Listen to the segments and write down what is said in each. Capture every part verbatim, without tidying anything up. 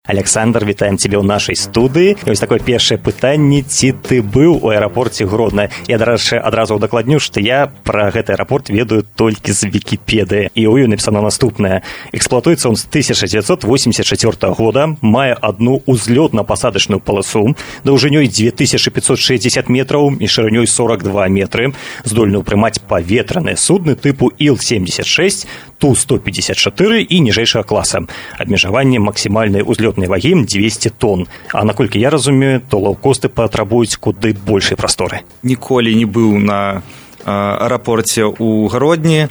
Александр, вітаем цябе ў нашай студыі. І вось такое першае пытанне: ці ты быў у аэрапорце Гродна? Я, дарэчы, адразу ўдакладню, што я пра гэты аэрапорт ведаю толькі з Вікіпедыі. І ў ёй напісана наступнае: эксплуатуецца он з тысяча дзевяцьсот восемьдесят четвёртого года, мае одну узлётна-пасадачную паласу даўжынёй две тысячи пятьсот шестьдесят метраў і шырынёй сорок два метры, здольны ўпрымаць паветраныя судны тыпу Ил семьдесят шесть, Ту сто пятьдесят четыре і ніжэйшага класа. Абмежаванне максімальнай узлётнай вагі двести тонн. А наколькі я разумею, то лоўкосты патрабуюць куды большай прасторы. Ніколі не быў на аэрапорце ў Гродні,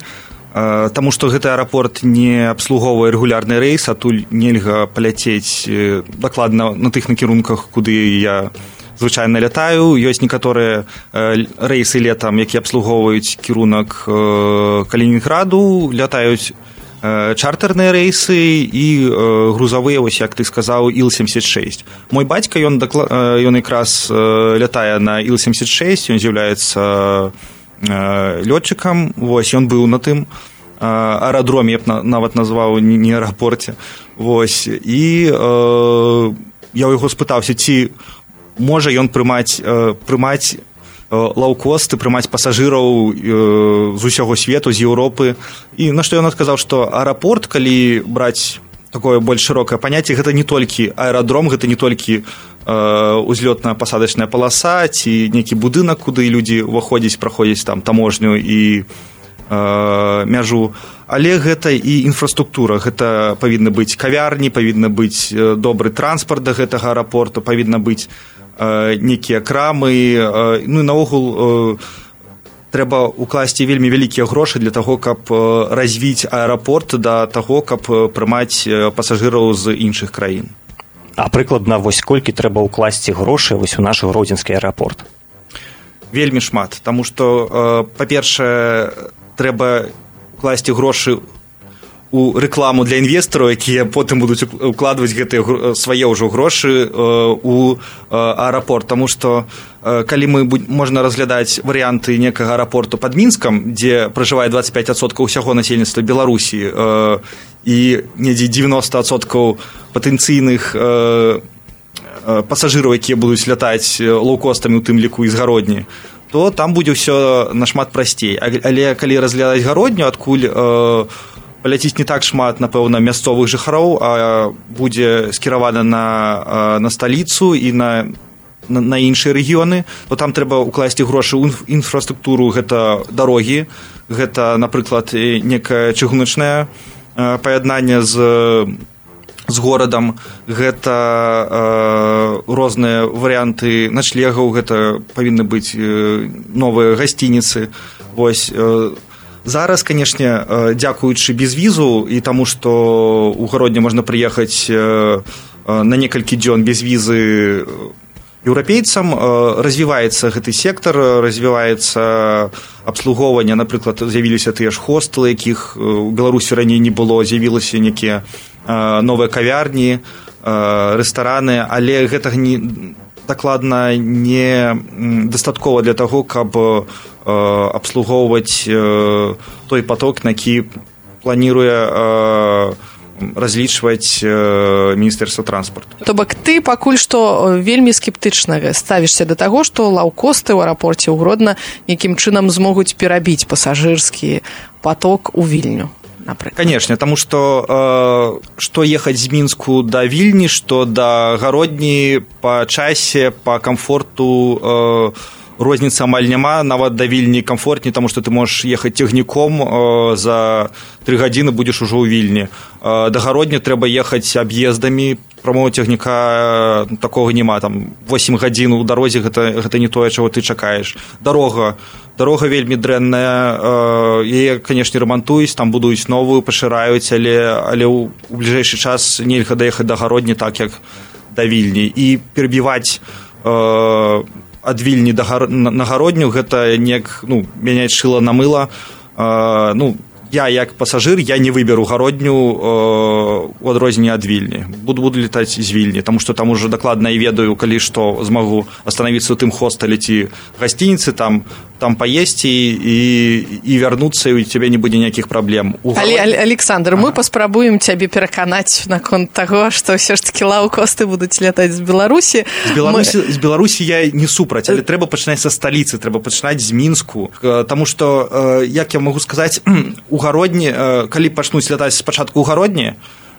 таму што гэты аэрапорт не абслугоўвае рэгулярны рэйс, адтуль нельга паляцець дакладна на тых накірунках, куды я звычайна лятаю. Ёсць некаторыя рэйсы летам, якія абслугоўваюць кірунак Калінінграду, лятаюць чартэрныя рэйсы і грузавыя, вось як ты сказаў, Ил семьдесят шесть. Мой бацька, ён, дакла... ён якраз лятае на Ил семьдесят шесть, ён з'яўляецца лётчыкам, вось, ён быў на тым аэрадроме, я б нават назваў, не аэрапорце. Вось, і э, я ў яго спытаўся, ці можа ён прымаць, прымаць лоўкосты, прымаць пасажыраў з усяго свету, з Еўропы. І на што ён адказаў, што аэрапорт, калі браць такое больш шырокае паняцце, гэта не толькі аэрадром, гэта не толькі узлётна-пасадачная паласа ці нейкі будынак, куды людзі ўваходзяць, праходзяць там таможню і мяжу, але гэта і інфраструктура. Гэта павінны быць кавярні, павінны быць добры транспарт да гэтага аэрапорту, павінна быць нейкія крамы. Ну і наогул трэба укласці вельмі вялікія грошы для таго, каб развіць аэрапорт да таго, каб прымаць пасажыраў з іншых краін. А прыкладна вось колькі трэба ўкласці грошы вось у наш гродзенскі аэрапорт? Вельмі шмат, таму што, па-першае, трэба укласці грошы у рэкламу для інвестараў, якія потым будуць укладваць гэтыя свае ўжо грошы у аэрапорт. Таму што калі мы можна разглядаць варыянты некага аэрапорту пад Мінскам, дзе пражывае двадцать пять адсоткаў усяго насельніцтва Беларусі і недзе девяносто адсоткаў патэнцыйных пасажыраў, якія будуць лятаць лоўкостамі, у тым ліку і з Гародні, то там будзе ўсё нашмат прасцей. Але калі разглядаць Гародню, адкуль паляціць не так шмат, напэўна, мясцовых жыхароў, а будзе скіравана на, на сталіцу і на, на, на іншыя рэгіёны, то там трэба ўкласці грошы ў інфраструктуру. Гэта дарогі, гэта, напрыклад, некае чыгуначнае паяднанне з, з горадам, гэта э, розныя варыянты начлегаў, гэта павінны быць новыя гасцініцы. Вось, э, зараз, канешне, дзякуючы безвізу і таму, што ў Гродні можна прыехаць на некалькі дзён без візы еўрапейцам, развіваецца гэты сектар, развіваецца абслугоўванне. Напрыклад, з'явіліся тыя ж хостэлы, якіх у Беларусі раней не было, з'явіліся некія новыя кавярні, рэстараны, але гэтага не, дакладна не дастаткова для таго, каб абслугоўваць той поток, на які планіруе разлічваць Міністэрства транспарту. То бок ты пакуль што вельмі скептычна ставішся да таго, што лоўкосты ў аэрапорце ў Гродна нейкім чынам змогуць перабіць пасажырскі поток у Вільню, напрыклад. Канешне, таму што што ехаць з Мінску да Вільні, што да Гародні па часе, па камфорту розніцы амаль няма. Нават да Вільні камфортней, таму што ты можаш ехаць цягніком, за тры гадзіны будзеш ужо ў Вільні. Да Гародні трэба ехаць аб'ездамі, прамого цягніка такога няма. Там восемь гадзін у дарозе, гэта, гэта не тое, чаго ты чакаеш. Дарога. Дарога вельмі дрэнная, яе, канешне, рамантуюць, там будуюць новую, пашыраюць, але, але ў, у бліжэйшы час нельга даехаць да Гародні так, як да Вільні. І перабіваць э, ад Вільні да Гар... на Гародню, гэта неяк, ну, мяняць шыла на мыла. Э, ну, я як пасажыр я не выберу гародню э, у адрозненне ад Вільні, буду буду летаць з Вільні, таму што там уже дакладна і ведаю, калі што змагу астанавіцца ў тым хостэле ці гасцініцы, там там паесці і і вярнуцца, і у цябе не будзе ніякіх праблем. Але Александр, мы паспрабуем цябе пераканаць наконт таго, што ўсё ж такі лоўкосты будуць лятаць з Беларусі. З Беларусі, мы... з Беларусі я не супраць, але трэба пачынаць са сталіцы, трэба пачынаць з Мінску, таму што, як я магу сказаць, у гародні, калі пачнуць лятаць спачатку ў гародні,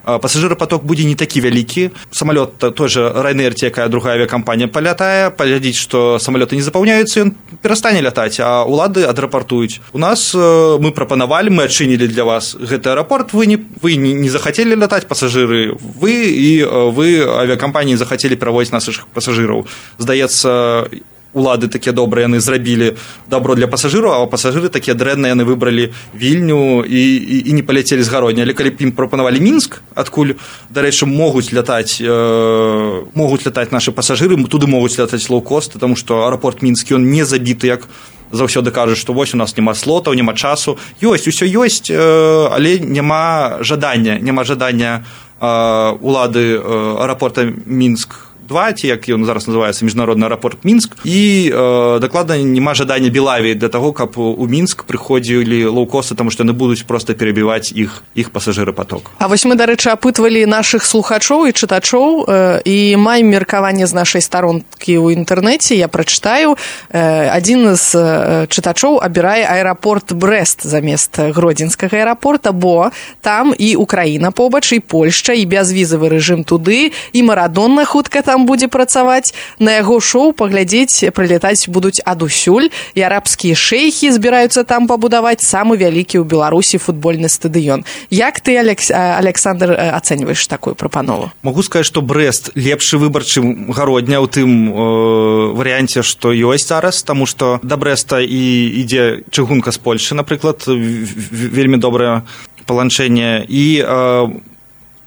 пасажырапаток будзе не такі вялікі. Самалёт той жа Ryanair, ці якая другая авіякампанія палятае, паглядзіць, што самалёты не запаўняюцца, ён перастане лятаць, а ўлады адрапартуюць. У нас мы прапанавалі, мы адчынілі для вас гэты аэрапорт, вы не, вы не захацелі лятаць, пасажыры, вы і вы авіякампаніі захацелі праводзіць нашых пасажыраў. Здаецца, улады такія добрыя, яны зрабілі добро для пасажыраў, а пасажыры такія дрэнныя, яны выбралі Вільню і, і, і не паляцелі з гародні. Але калі б ім прапанавалі Мінск, адкуль, дарэчы, могуць лятаць э, могуць лятаць нашы пасажыры, туды могуць лятаць лоўкосты, таму што аэрапорт Мінскі, ён не забіты, як заўсёды кажуць, што вось у нас няма слотаў, няма часу. Ёсць, усё ёсць, э, але няма жадання, няма жадання э, улады э, аэрапорта Мінск два, ці як ён зараз называецца, міжнародны аэрапорт Мінск, і э, дакладна няма жадання Белавіі для таго, каб у Мінск прыходзілі лоўкосты, таму што яны будуць проста перабіваць іх іх пасажырапаток. А вось мы, дарэчы, апытвалі нашых слухачоў і чытачоў, э, і маем меркаванне з нашай старонкі ў інтэрнэце, я прачытаю. Э, адзін з э, чытачоў абірае аэрапорт Брэст замест гродзенскага аэрапорта, бо там і Украіна побач, і Польшча, і бязвізавы рэжым туды, і Марадонна хутка там будзе працаваць. На яго шоу паглядзець, прылетаць будуць адусюль, і арабскія шэйхі збіраюцца там пабудаваць самы вялікі ў Беларусі футбольны стадыён. Як ты, Алекс... Александр, ацэньваеш такую прапанову? Магу сказаць, што Брэст лепшы выбар, чым гародня ў тым э, варыянце, што ёсць зараз, таму што да Брэста і ідзе чыгунка з Польшы, напрыклад, вельмі добрае паланчэнне, і э,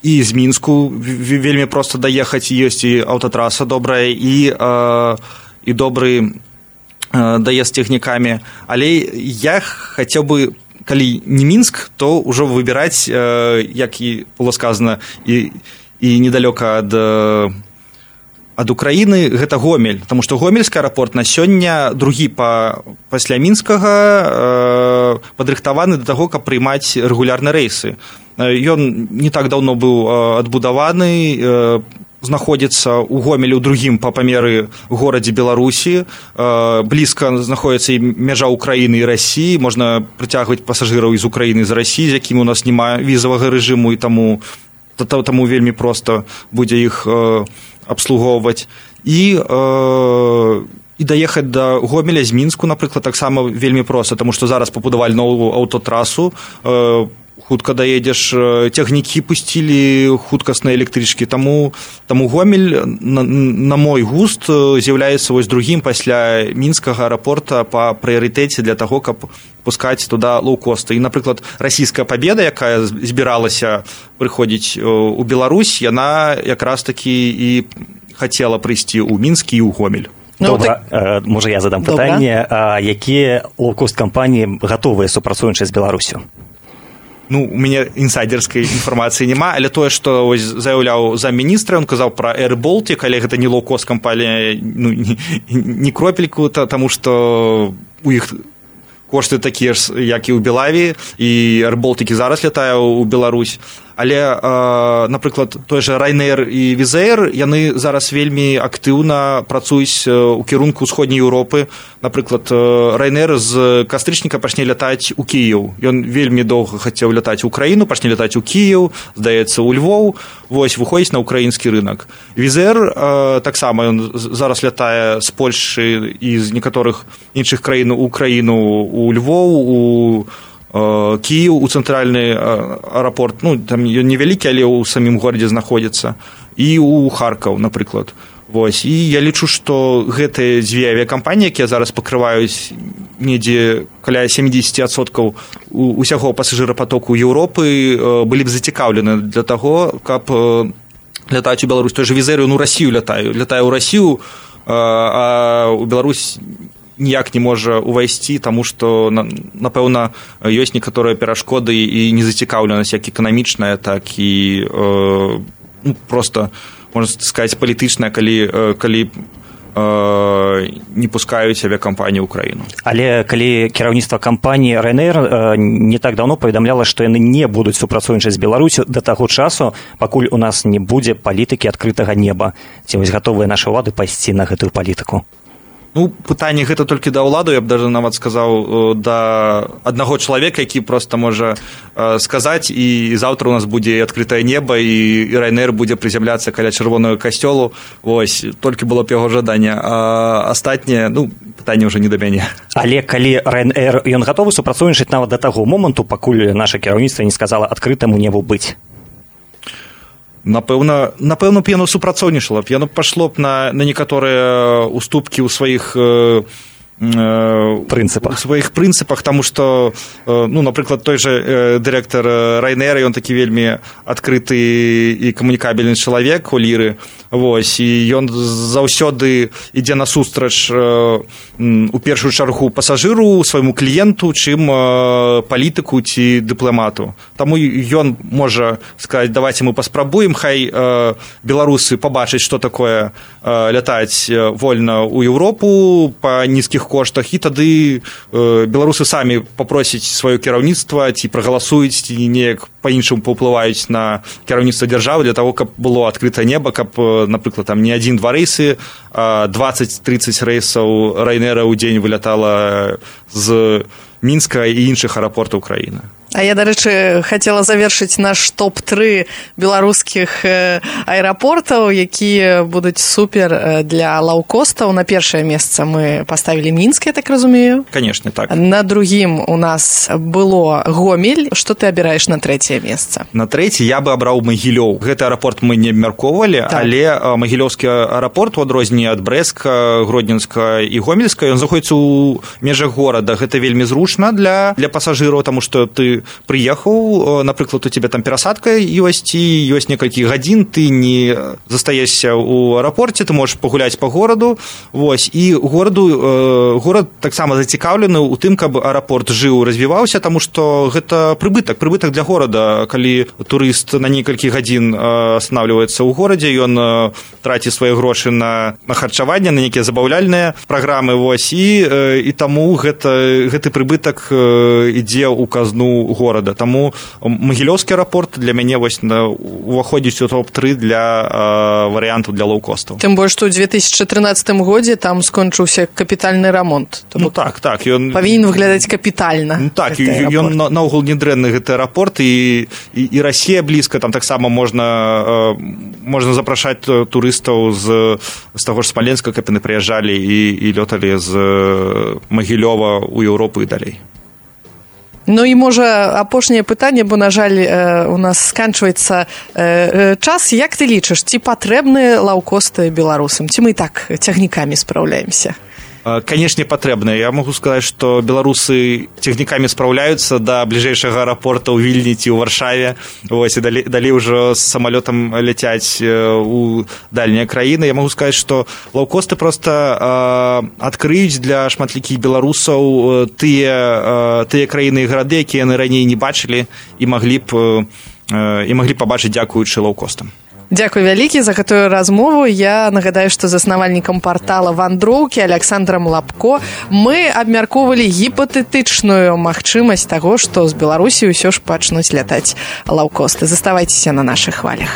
і з Мінску вельмі проста даехаць, ёсць і аўтатраса добрая, і, э, і добры э, даезд тэхнікамі. Але я хацеў бы, калі не Мінск, то ўжо выбіраць, э, як і было сказана, і, і недалёка ад, ад Украіны, гэта Гомель, таму што гомельскі аэрапорт на сёння другі па, пасля мінскага э, падрыхтаваны да таго, каб прыймаць рэгулярныя рэйсы. Ён не так даўно быў адбудаваны, знаходзіцца ў Гомелі ў другім па памеры горадзе Беларусі, блізка знаходзіцца і мяжа Украіны і Расіі, можна прыцягваць пасажыраў з Украіны, з Расіі, з якімі у нас няма візавага рэжыму, і таму, таму вельмі проста будзе іх абслугоўваць. І і даехаць да Гомеля з Мінску, напрыклад, таксама вельмі проста, таму што зараз пабудавалі новую аўтатрасу, хутка даедзеш, цягнікі пусцілі хуткасныя электрычкі, таму, таму Гомель, на, на мой густ, з'яўляецца вось другім пасля мінскага аэрапорта па прыярытэце для таго, каб пускаць туда лоўкосты. І, напрыклад, расійская пабеда, якая збіралася прыходзіць у Беларусь, яна якраз такі і хацела прыйсці ў Мінск і ў Гомель. Добра, так... можа я задам пытанне, а якія лоўкост-кампаніі гатовыя супрацоўнічаць з Беларусю? Ну, у мяне інсайдерскай інфармацыі няма, але тое, што вось заяўляў замміністра, ён казаў пра Air Baltic, але гэта не лоўкост-кампанія, ну, не, не кропельку, таму што у іх кошты такія ж, як і ў Белавіі, і Air Baltic зараз лятае ў Беларусь. Але, э, напрыклад, той жа Ryanair і Wizz Air, яны зараз вельмі актыўна працуюць у кірунку ўсходняй Еўропы. Напрыклад, Ryanair з кастрычніка пачне лятаць у Кіеў. Ён вельмі доўга хацеў лятаць у Украіну, пачне лятаць у Кіеў, здаецца, у Львоў, вось, выходзіць на ўкраінскі рынак. Wizz Air э, таксама ён зараз лятае з Польшы і з некаторых іншых краін у Украіну, у Львоў, у Кіеў, у цэнтральны аэрапорт, ну, там ён невялікі, але ў самім горадзе знаходзіцца, і ў Харкаў, напрыклад. Вось. І я лічу, што гэтыя дзве авіякампаніі, якія зараз пакрываюць недзе каля сямдзесят адсоткаў усяго пасажырапатоку Еўропы, былі б зацікаўлены для таго, каб лятаць у Беларусь. Той жа Wizz Air, ну, Расію лятаю. Лятаю ў Расію, а ў Беларусь ніяк не можа ўвайсці, таму што, напэўна, ёсць некаторыя перашкоды і незацікаўленасць як эканамічная, так і ну, проста, можна сказаць, палітычная, калі, калі не пускаюць авіакампанію ў краіну. Але калі кіраўніцтва кампаніі Ryanair не так даўно паведамляла, што яны не будуць супрацоўнічаць з Беларусю да таго часу, пакуль у нас не будзе палітыкі адкрытага неба. Ці вось гатовыя нашы ўлады пайсці на гэтую палітыку? Ну, пытанне гэта толькі да ўладу, я б даже нават сказаў, да аднаго чалавека, які проста можа сказаць, і заўтра у нас будзе адкрытае неба, і Ryanair будзе прызямляцца каля чырвонага касцёлу. Вось, толькі было б яго жаданне. А астатняе, ну, пытанне ўжо не да мяне. Але калі Ryanair, ён гатовы супрацоўнічаць нават да таго моманту, пакуль наша кіраўніцтва не сказала адкрытаму небу быць? Напэўна, напэўна б яно супрацоўнічала б, яно пайшло б на, на некаторыя уступкі ў сваіх э, прынцыпах. У сваіх прынцыпах, таму што, ну, напрыклад, той же дырэктар Ryanair, ён такі вельмі адкрыты і камунікабельны чалавек у ліры, вось, і ён заўсёды ідзе насустрач у першую чаргу пасажыру, свайму кліенту, чым палітыку ці дыпламату. Таму ён можа сказаць, давайте мы паспрабуем, хай беларусы пабачаць, што такое лятаць вольна ў Еўропу па нізкіх коштах, і тады э, беларусы самі папросяць сваё кіраўніцтва, ці прагаласуюць, ці неяк па-іншаму паўплываюць на кіраўніцтва дзяржавы для таго, каб было адкрытае неба, каб, напрыклад, там не адзін-два рэйсы, а дваццаць-трыццаць рэйсаў Ryanair ў дзень вылятала з Мінска і іншых аэрапортаў краіны. А я, дарэчы, хацела завершыць наш топ тры беларускіх аэрапортаў, якія будуць супер для лоукостаў. На першае месца мы паставілі Мінск, я так разумею. Конечно, так. На другім у нас было Гомель. Што ты абіраеш на трэцяе месца? На трэці я бы абраў Магілёў. Гэты аэрапорт мы не абмяркоўвалі, так. Але Магілёўскі аэрапорт, у адрозненне ад Брэстка, Гродненска і Гомельска, ён знаходзіцца ў межах горада. Гэта вельмі зручна для, для пасажыраў, таму што ты прыехаў, напрыклад, у цябе там перасадка ёсць, і ёсць некалькі гадзін, ты не застаешся ў аэрапорце, ты можаш пагуляць па гораду, вось, і гораду, горад таксама зацікаўлены ў тым, каб аэрапорт жыў, развіваўся, таму што гэта прыбытак, прыбытак для горада, калі турыст на некалькі гадзін астанавліваецца ў горадзе, ён траціць свае грошы на, на харчаванне, на нейкія забаўляльныя праграмы, вось, і, і таму гэта, гэты прыбытак ідзе ў казну горада. Таму Магілёўскі аэрапорт для мяне вось уваходзіць у топ тры для э, варыянтаў для лоукостаў. Тым больш, што ў две тысячы трынаццатым годзе там скончыўся капітальны рамонт. Ну так, так. Ён павінен выглядаць капітальна. Ну так, ён наогул не дрэнны гэты аэрапорт, і, і, і Расія блізка, там таксама можна, э, можна запрашаць турыстаў з, з таго ж Смаленска, каб яны прыязджалі і, і лёталі з Магілёва ў Еўропу і далей. Ну і, можа, апошняе пытанне, бо, на жаль, у нас сканчваецца час. Як ты лічыш, ці патрэбныя лоукосты беларусам? Ці мы і так цягнікамі спраўляемся? Канешне, патрэбна. Я магу сказаць, што беларусы цягнікамі спраўляюцца да бліжэйшага аэрапорта ў Вільні ці ў Варшаве. Вось, і далей, далей ўжо з самалётам ляцяць у дальнія краіны. Я магу сказаць, што лоукосты проста э, адкрыюць для шматлікіх беларусаў тыя, э, тыя краіны і гарады, якія яны раней не бачылі і маглі б, э, і маглі пабачыць дзякуючы лоукостам. Дзякуй вялікі за гэтую размову. Я нагадаю, што заснавальнікам партала «Вандроўкі» Александрам Лапко мы абмяркоўвалі гіпатэтычную магчымасць таго, што з Беларусі ўсё ж пачнуць лятаць лоукосты. Заставайцеся на нашых хвалях.